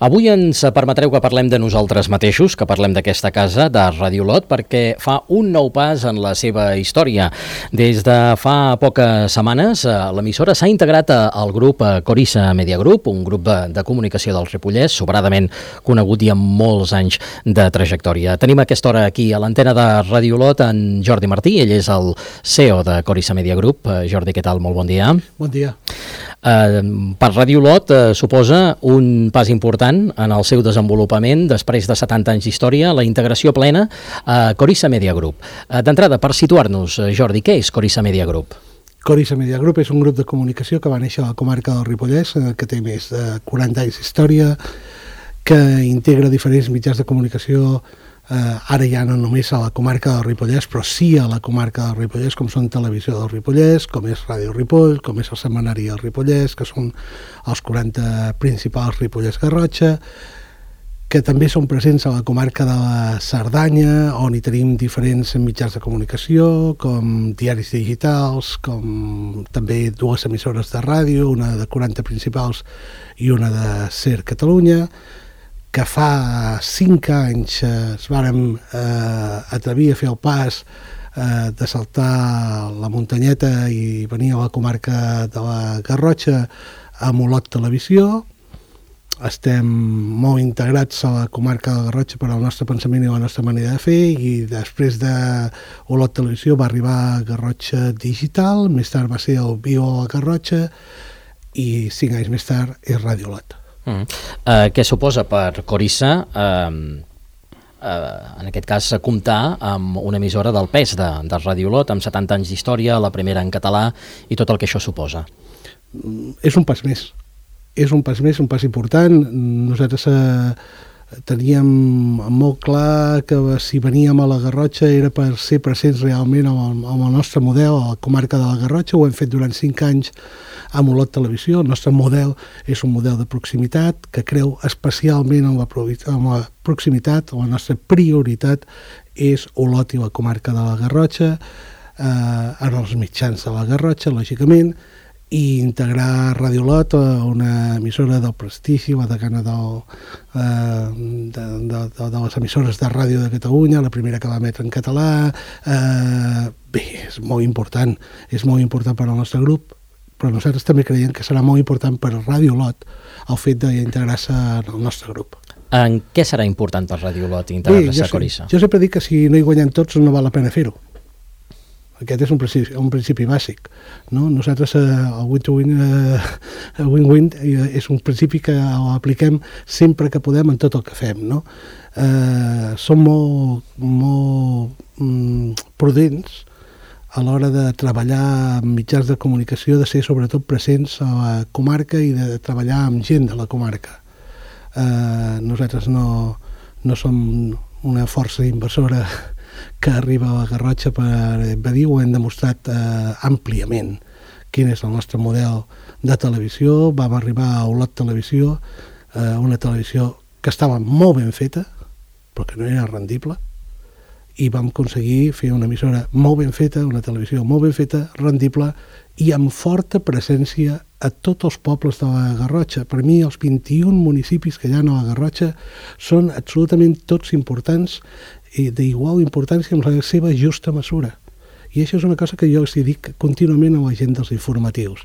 Avui ens permetreu que parlem de nosaltres mateixos, que parlem d'aquesta casa, de Ràdio Olot, perquè fa un nou pas en la seva història. Des de fa poques setmanes, l'emissora s'ha integrat al grup Corissa Media Group, un grup de comunicació del Ripollès, sobradament conegut i amb molts anys de trajectòria. Tenim a aquesta hora aquí a l'antena de Ràdio Olot en Jordi Martí, ell és el CEO de Corissa Media Group. Jordi, què tal? Molt bon dia. Bon dia. Per Ràdio Olot suposa un pas important en el seu desenvolupament després de 70 anys d'història, la integració plena a Corissa Media Group. D'entrada, per situar-nos, Jordi, què és Corissa Media Group? Corissa Media Group és un grup de comunicació que va néixer a la comarca del Ripollès, que té més de 40 anys d'història, que integra diferents mitjans de comunicació, ara ja no només a la comarca del Ripollès, però sí a la comarca del Ripollès, com són Televisió del Ripollès, com és Ràdio Ripoll, com és el Setmanari del Ripollès, que són els 40 principals Ripollès Garrotxa, que també són presents a la comarca de la Cerdanya, on hi tenim diferents mitjans de comunicació, com diaris digitals, com també dues emissores de ràdio, una de 40 principals i una de SER Catalunya, que fa 5 anys es vàrem atrevir a fer el pas de saltar la muntanyeta i venir a la comarca de la Garrotxa amb Olot Televisió. Estem molt integrats a la comarca de la Garrotxa per al nostre pensament i la nostra manera de fer, i després de Olot Televisió va arribar a Garrotxa Digital, més tard va ser el Bio a la Garrotxa i 5 anys més tard és Ràdio Olot. Què suposa per Corissa, en aquest cas, comptar amb una emissora del pes de Ràdio Olot, amb 70 anys d'història, la primera en català i tot el que això suposa? És un pas més. És un pas més, un pas important. Nosaltres teníem molt clar que si veníem a la Garrotxa era per ser presents realment amb el nostre model a la comarca de la Garrotxa. Ho hem fet durant 5 anys amb Olot Televisió. El nostre model és un model de proximitat que creu especialment en la proximitat. La nostra prioritat és Olot i la comarca de la Garrotxa, en els mitjans de la Garrotxa, lògicament, i integrar Ràdio Olot, una emissora del prestigi, la decana de les emissores de ràdio de Catalunya, la primera que va emetre en català. Bé, és molt important per al nostre grup, però nosaltres també creiem que serà molt important per a Ràdio Olot el fet d'integrar-se en el nostre grup. En què serà important per Ràdio Olot integrar-se a Corissa? Jo sempre dic que si no hi guanyem tots no val la pena fer-ho. Aquest és un principi bàsic, no? Nosaltres el win-win és un principi que apliquem sempre que podem en tot el que fem, no? Som molt prudents a l'hora de treballar amb mitjans de comunicació, de ser sobretot presents a la comarca i de treballar amb gent de la comarca. Nosaltres no som una força inversora que arriba a la Garrotxa per invadir. Ho hem demostrat àmpliament quin és el nostre model de televisió. Vam arribar a Olot Televisió, una televisió que estava molt ben feta, però que no era rendible, i vam aconseguir fer una emissora molt ben feta, una televisió molt ben feta, rendible i amb forta presència a tots els pobles de la Garrotxa. Per mi, els 21 municipis que hi ha a la Garrotxa són absolutament tots importants i d'igual importància amb la seva justa mesura. I això és una cosa que jo els dic contínuament a la gent dels informatius.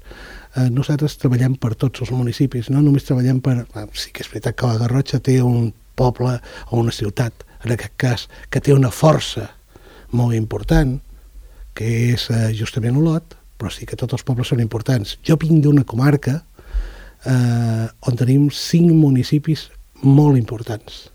Nosaltres treballem per tots els municipis, no només treballem per... Sí que és veritat que la Garrotxa té un poble o una ciutat, en aquest cas, que té una força molt important, que és justament Olot, però sí que tots els pobles són importants. Jo vinc d'una comarca on tenim 5 municipis molt importants.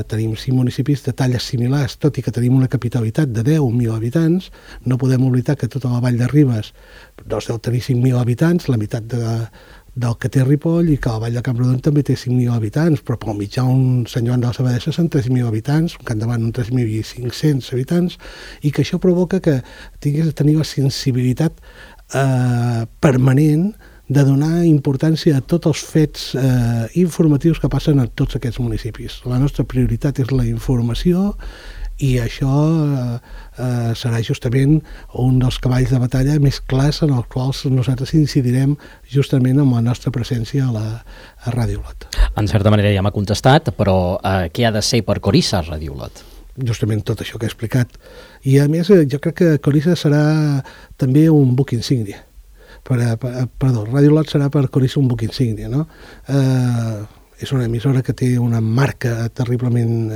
Tenim 5 municipis de talles similars, tot i que tenim una capitalitat de 10.000 habitants. No podem oblidar que tota la Vall de Ribes deu tenir 5.000 habitants, la meitat del que té Ripoll, i que la Vall de Camprodon també té 5.000 habitants, però pel mitjà un Sant Joan de les Abadesses són 3.000 habitants, un Campdevànol 3.500 habitants, i que això provoca que tinguis de tenir la sensibilitat permanent de donar importància a tots els fets informatius que passen a tots aquests municipis. La nostra prioritat és la informació I això serà justament un dels cavalls de batalla més clars en els quals nosaltres incidirem justament amb la nostra presència a Ràdio Olot. En certa manera ja m'ha contestat, però què ha de ser per Corissa Ràdio Olot? Justament tot això que he explicat. I a més jo crec que Corissa serà també un buc insígnia. Ràdio Olot serà per Corissa un buc insígnia, no? És una emissora que té una marca terriblement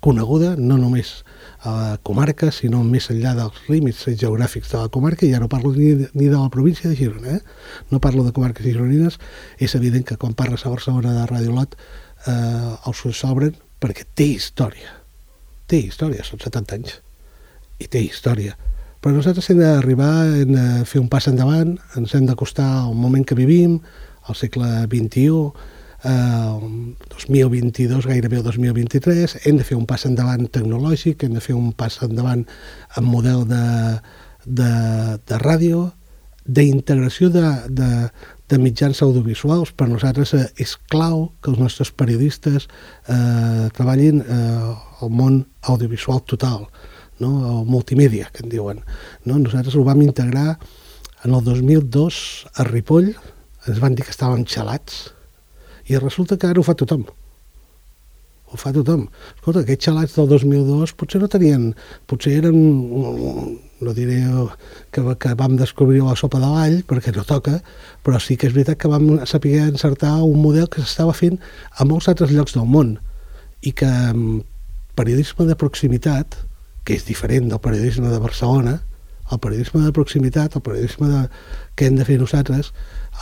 coneguda, no només a la comarca, sinó més enllà dels límits geogràfics de la comarca, i ja no parlo ni de la província de Girona, no parlo de comarques gironines. És evident que quan parles a Barcelona de Ràdio Olot els ulls s'obren perquè té història, són 70 anys, i té història. Però nosaltres hem hem de fer un pas endavant, ens hem d'acostar al moment que vivim, al segle XXI, 2022, gairebé el 2023, hem de fer un pas endavant tecnològic, hem de fer un pas endavant en model de ràdio, d'integració de mitjans audiovisuals. Per nosaltres és clau que els nostres periodistes treballin al món audiovisual total, no? El multimèdia, que en diuen. No? Nosaltres ho vam integrar en el 2002 a Ripoll, ens van dir que estàvem xalats, i resulta que ara ho fa tothom. Escolta, aquests xalats del 2002 potser no tenien, potser eren, no diré que vam descobrir la sopa de l'all, perquè no toca, però sí que és veritat que vam saber encertar un model que s'estava fent a molts altres llocs del món, i que periodisme de proximitat, que és diferent del periodisme de Barcelona, el periodisme de proximitat, el periodisme que hem de fer nosaltres,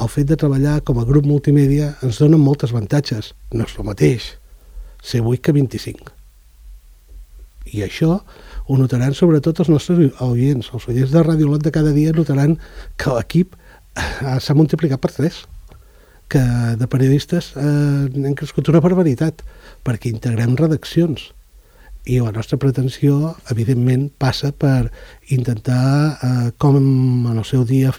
el fet de treballar com a grup multimèdia ens dona moltes avantatges. No és el mateix ser 8 que 25. I això ho notaran sobretot els nostres oients. Els oients de Ràdio Olot de cada dia notaran que l'equip s'ha multiplicat per 3, que de periodistes hem crescut una barbaritat, perquè integrem redaccions. I la nostra pretensió, evidentment, passa per intentar, com en el seu dia,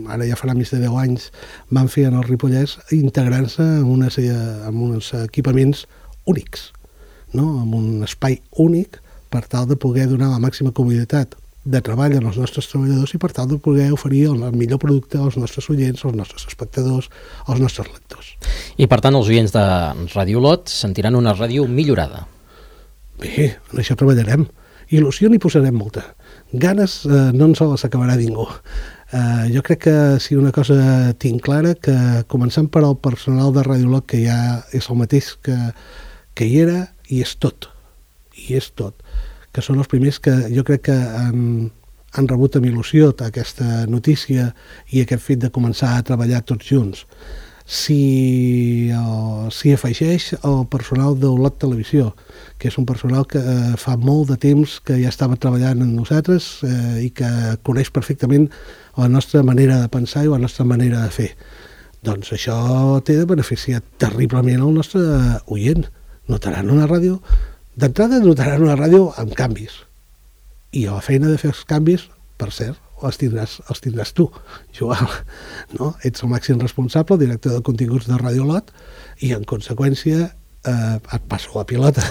ara ja farà més de 10 anys, van fer en el Ripollès, integrar-se en uns equipaments únics, no? En un espai únic, per tal de poder donar la màxima comoditat de treball als nostres treballadors i per tal de poder oferir el millor producte als nostres oients, als nostres espectadors, als nostres lectors. I, per tant, els oients de Ràdio Olot sentiran una ràdio millorada. Bé, en això treballarem. Il·lusió n'hi posarem molta. Ganes no ens les acabarà ningú. Jo crec que si una cosa tinc clara, que començant per al personal de Ràdio Olot, que ja és el mateix que hi era, i és tot. Que són els primers que jo crec que han rebut amb il·lusió aquesta notícia i aquest fet de començar a treballar tots junts. S'hi afegeix el personal d'Olot Televisió, que és un personal que fa molt de temps que ja estava treballant amb nosaltres i que coneix perfectament la nostra manera de pensar i la nostra manera de fer. Doncs això té de beneficiar terriblement el nostre oient. Notaran una ràdio, d'entrada notaran una ràdio amb canvis. I a la feina de fer els canvis, per cert, els tindràs tu, Joan, no? Ets el màxim responsable, el director de continguts de Ràdio Olot, i en conseqüència et passo la pilota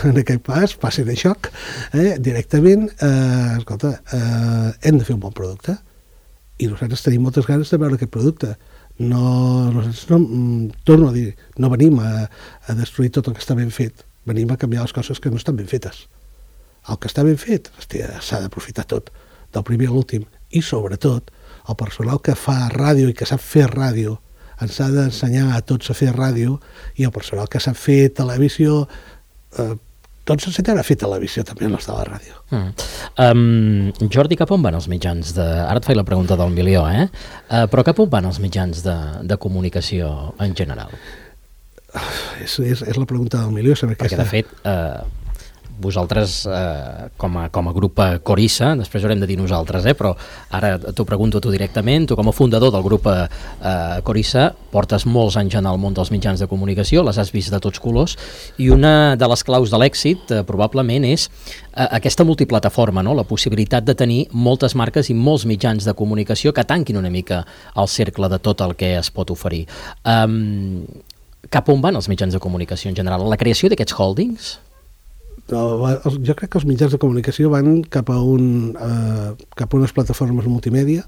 en aquest pas, passi de xoc directament. Escolta, hem de fer un bon producte i nosaltres tenim moltes ganes de veure aquest producte. Nosaltres torno a dir, no venim a destruir tot el que està ben fet, venim a canviar les coses que no estan ben fetes. El que està ben fet s'ha d'aprofitar tot, del primer a l'últim, i sobretot el personal que fa ràdio i que sap fer ràdio ens ha d'ensenyar a tots a fer ràdio, i el personal que sap fer televisió tots s'ensenyarà a fer televisió també en els de la ràdio. Jordi, cap on van els mitjans ara et faig la pregunta del milió, però cap on van els mitjans de comunicació en general? És la pregunta del milió, saber perquè de fet vosaltres com a grup Corissa, després haurem de dir nosaltres, però ara t'ho pregunto tu directament, tu com a fundador del grup Corissa portes molts anys en el món dels mitjans de comunicació, les has vist de tots colors, i una de les claus de l'èxit probablement és aquesta multiplataforma, no? La possibilitat de tenir moltes marques i molts mitjans de comunicació que tanquin una mica el cercle de tot el que es pot oferir. Cap on van els mitjans de comunicació en general? La creació d'aquests holdings? jo crec que els mitjans de comunicació van cap a unes plataformes multimèdia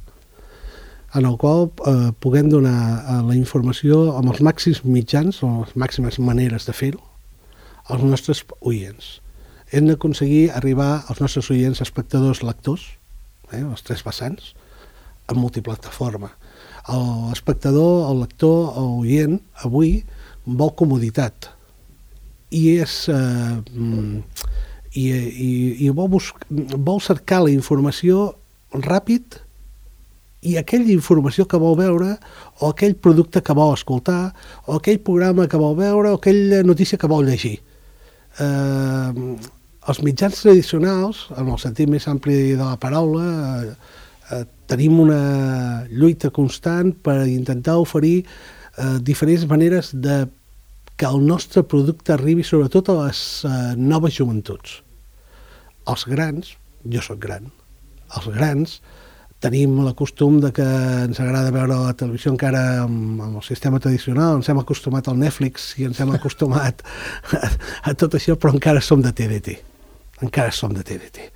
en el qual puguem donar la informació amb els màxims mitjans o les màximes maneres de fer-ho als nostres oients. Hem d'aconseguir arribar als nostres oients, espectadors, lectors, els tres vessants, en multiplataforma. L'espectador, el lector, l'oient, avui vol comoditat i vol cercar la informació ràpid i aquella informació que vol veure o aquell producte que vol escoltar o aquell programa que vol veure o aquella notícia que vol llegir. Els mitjans tradicionals, en el sentit més ampli de la paraula, tenim una lluita constant per intentar oferir diferents maneres de que el nostre producte arribi sobretot a les noves joventuts. Els grans, jo sóc gran, els grans tenim el costum de que ens agrada veure la televisió encara amb el sistema tradicional, ens hem acostumat al Netflix i ens hem acostumat a tot això, però encara som de TDT. Encara som de TDT.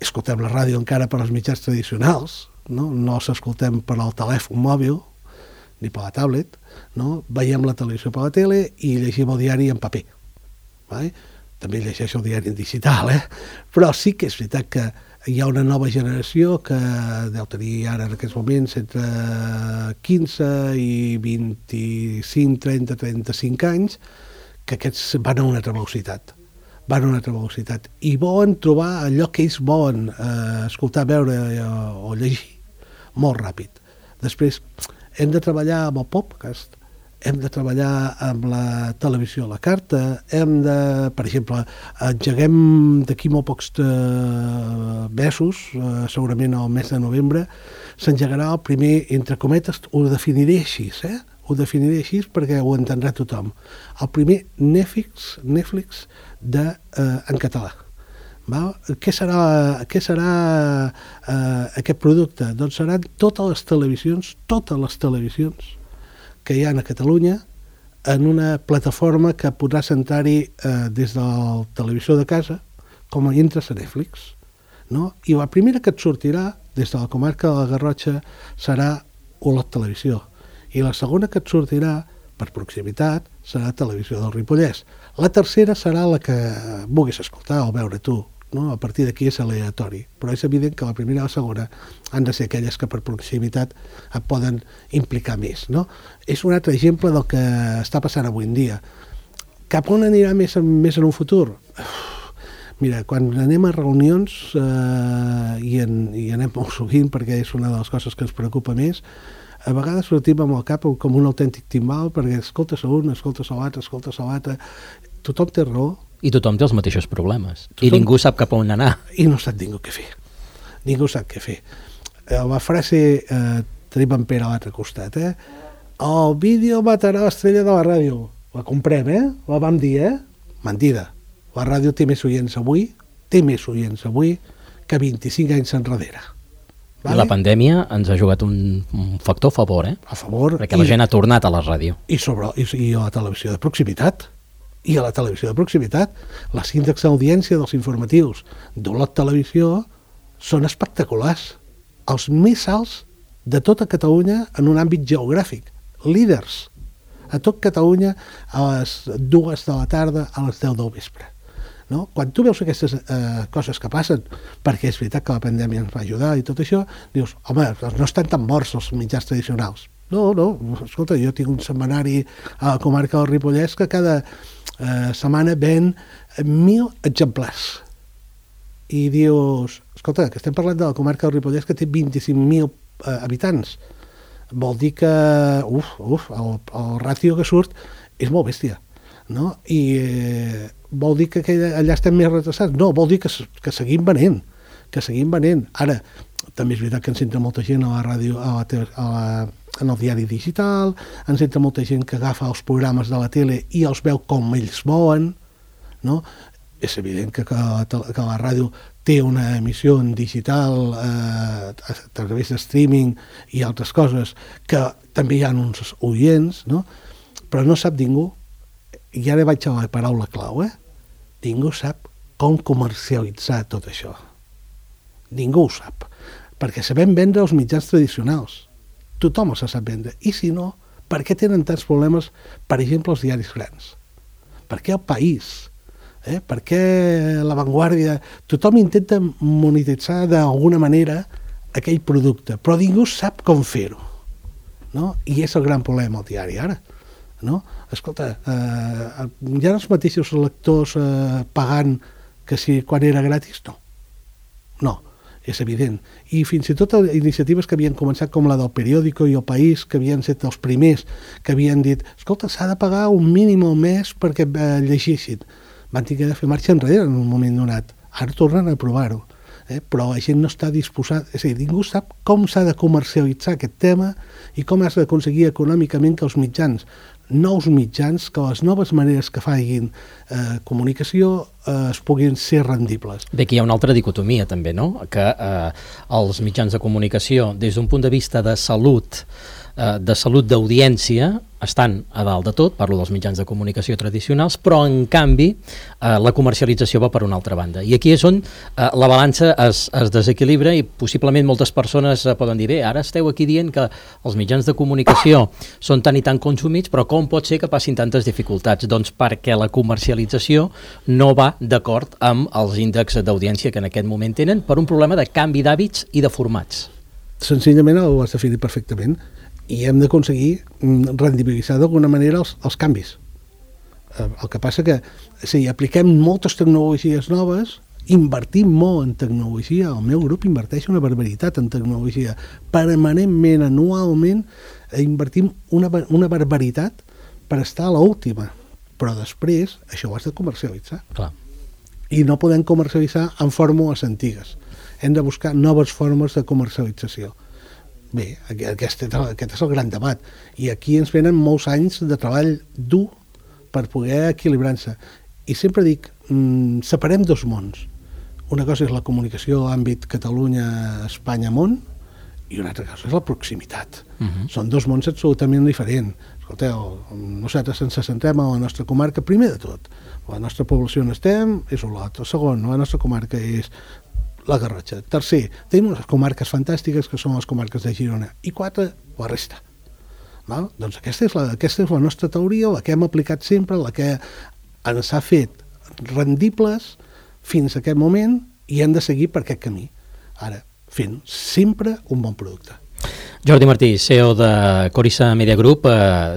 Escoltem la ràdio encara per als mitjans tradicionals, no s'escoltem per al telèfon mòbil ni per la tablet, no? Veiem la televisió per la tele i llegim el diari en paper. Vale? També llegeixo el diari en digital, però sí que és veritat que hi ha una nova generació que deu tenir ara en aquests moments entre 15 i 25, 30, 35 anys, que aquests van a una altra velocitat. I volen trobar allò que ells volen escoltar, veure o llegir molt ràpid. Després hem de treballar amb el podcast, hem de treballar amb la televisió a la carta, per exemple, engeguem d'aquí molt pocs mesos, segurament al mes de novembre, s'engegarà el primer, entre cometes, ho definiré així, ho definiré així perquè ho entendrà tothom. El primer Netflix en català. Què serà aquest producte? Doncs seran totes les televisions que hi ha a Catalunya en una plataforma que podrà sentar-hi des de la televisió de casa com entres a Netflix. No? I la primera que et sortirà des de la comarca de la Garrotxa serà Olot Televisió. I la segona que et sortirà per proximitat serà Televisió del Ripollès. La tercera serà la que vulguis escoltar o veure tu. No? A partir d'aquí és aleatori, però és evident que la primera i la segona han de ser aquelles que per proximitat et poden implicar més. No? És un altre exemple del que està passant avui en dia. Cap on anirà més en un futur? Mira, quan anem a reunions, i anem molt sovint perquè és una de les coses que ens preocupa més, a vegades sortim amb el cap com un autèntic timbal perquè escoltes un, escoltes l'altre, tothom té raó. I tothom té els mateixos problemes. I ningú sap cap on anar. I no sap ningú què fer. La frase tenim en Pere a l'altre costat, el vídeo matarà l'estrella de la ràdio. La comprem, la vam dir, mentida. La ràdio té més oients avui que 25 anys enrere. Vale? La pandèmia ens ha jugat un factor a favor, A favor. Perquè la gent ha tornat a la ràdio. I a la televisió de proximitat. Les índexs d'audiència dels informatius d'Olot Televisió són espectaculars. Els més alts de tota Catalunya en un àmbit geogràfic. Líders. A tot Catalunya a les 2 de la tarda, a les 10 del vespre. No? Quan tu veus aquestes coses que passen, perquè és veritat que la pandèmia ens va ajudar i tot això, dius, home, no estan tan morts els mitjans tradicionals. No, escolta, jo tinc un setmanari a la comarca del Ripollès que cada setmana ven 1.000 exemplars. I dius, escolta, que estem parlant de la comarca del Ripollès que té 25.000 habitants. Vol dir que, el ràtio que surt és molt bèstia. No? I vol dir que allà estem més retrasats? No, vol dir que seguim venent. Ara, també és veritat que ens entra molta gent a la ràdio, en el diari digital, ens entra molta gent que agafa els programes de la tele i els veu com ells volen, no? És evident que la ràdio té una emissió en digital a través de streaming i altres coses que també hi ha uns oients, no? Però no sap ningú, i ara vaig a la paraula clau, ningú sap com comercialitzar tot això. Ningú ho sap. Perquè sabem vendre els mitjans tradicionals. Tothom els sap vendre. I si no, per què tenen tants problemes, per exemple, els diaris grans? Per què el País? Per què La Vanguardia? Tothom intenta monetitzar d'alguna manera aquell producte, però ningú sap com fer-ho. No? I és el gran problema al diari ara. No? Escolta, hi ha els mateixos lectors pagant que si quan era gratis? No, és evident. I fins i tot iniciatives que havien començat com la del Periódico i el País, que havien estat els primers, que havien dit, escolta, s'ha de pagar un mínim al mes perquè llegeixin. Van tenir de fer marxa enrere en un moment donat. Ara tornen a provar-ho. Però la gent no està disposada, és a dir, ningú sap com s'ha de comercialitzar aquest tema i com has d'aconseguir econòmicament que els mitjans, nous mitjans, que les noves maneres que facin comunicació es puguin ser rendibles. Bé, aquí hi ha una altra dicotomia també, no? Que els mitjans de comunicació, des d'un punt de vista de salut d'audiència, estan a dalt de tot, parlo dels mitjans de comunicació tradicionals, però en canvi la comercialització va per una altra banda. I aquí és on la balança es desequilibra i possiblement moltes persones poden dir, bé, ara esteu aquí dient que els mitjans de comunicació són tan i tan consumits, però com pot ser que passin tantes dificultats? Doncs perquè la comercialització no va d'acord amb els índexs d'audiència que en aquest moment tenen per un problema de canvi d'hàbits i de formats. Senzillament ho has definit perfectament. I hem d'aconseguir rendibilitzar d'alguna manera els canvis. El que passa que si apliquem moltes tecnologies noves, invertim molt en tecnologia, el meu grup inverteix una barbaritat en tecnologia, permanentment, anualment, invertim una barbaritat per estar a l'última, però després això ho has de comercialitzar. Clar. I no podem comercialitzar en fórmules antigues. Hem de buscar noves formes de comercialització. Bé, aquest és el gran debat. I aquí ens venen molts anys de treball dur per poder equilibrar-se. I sempre dic, separem dos mons. Una cosa és la comunicació a àmbit Catalunya, Espanya, món, i una altra cosa és la proximitat. Són dos mons absolutament diferents. Escolteu, nosaltres ens centrem a la nostra comarca, primer de tot. La nostra població on estem és Olot. El segon, la nostra comarca és la Garrotxa. Tercer, tenim unes comarques fantàstiques que són les comarques de Girona. I quatre, la resta. Val? Doncs aquesta és la nostra teoria, la que hem aplicat sempre, la que ens ha fet rendibles fins a aquest moment i hem de seguir per aquest camí. Ara, fent sempre un bon producte. Jordi Martí, CEO de Corissa Media Group,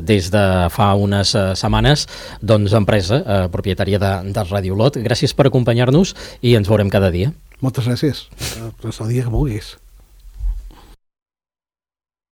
des de fa unes setmanes, doncs empresa propietària de Radio Olot. Gràcies per acompanyar-nos i ens veurem cada dia. Moltes gràcies. El dia que vulguis.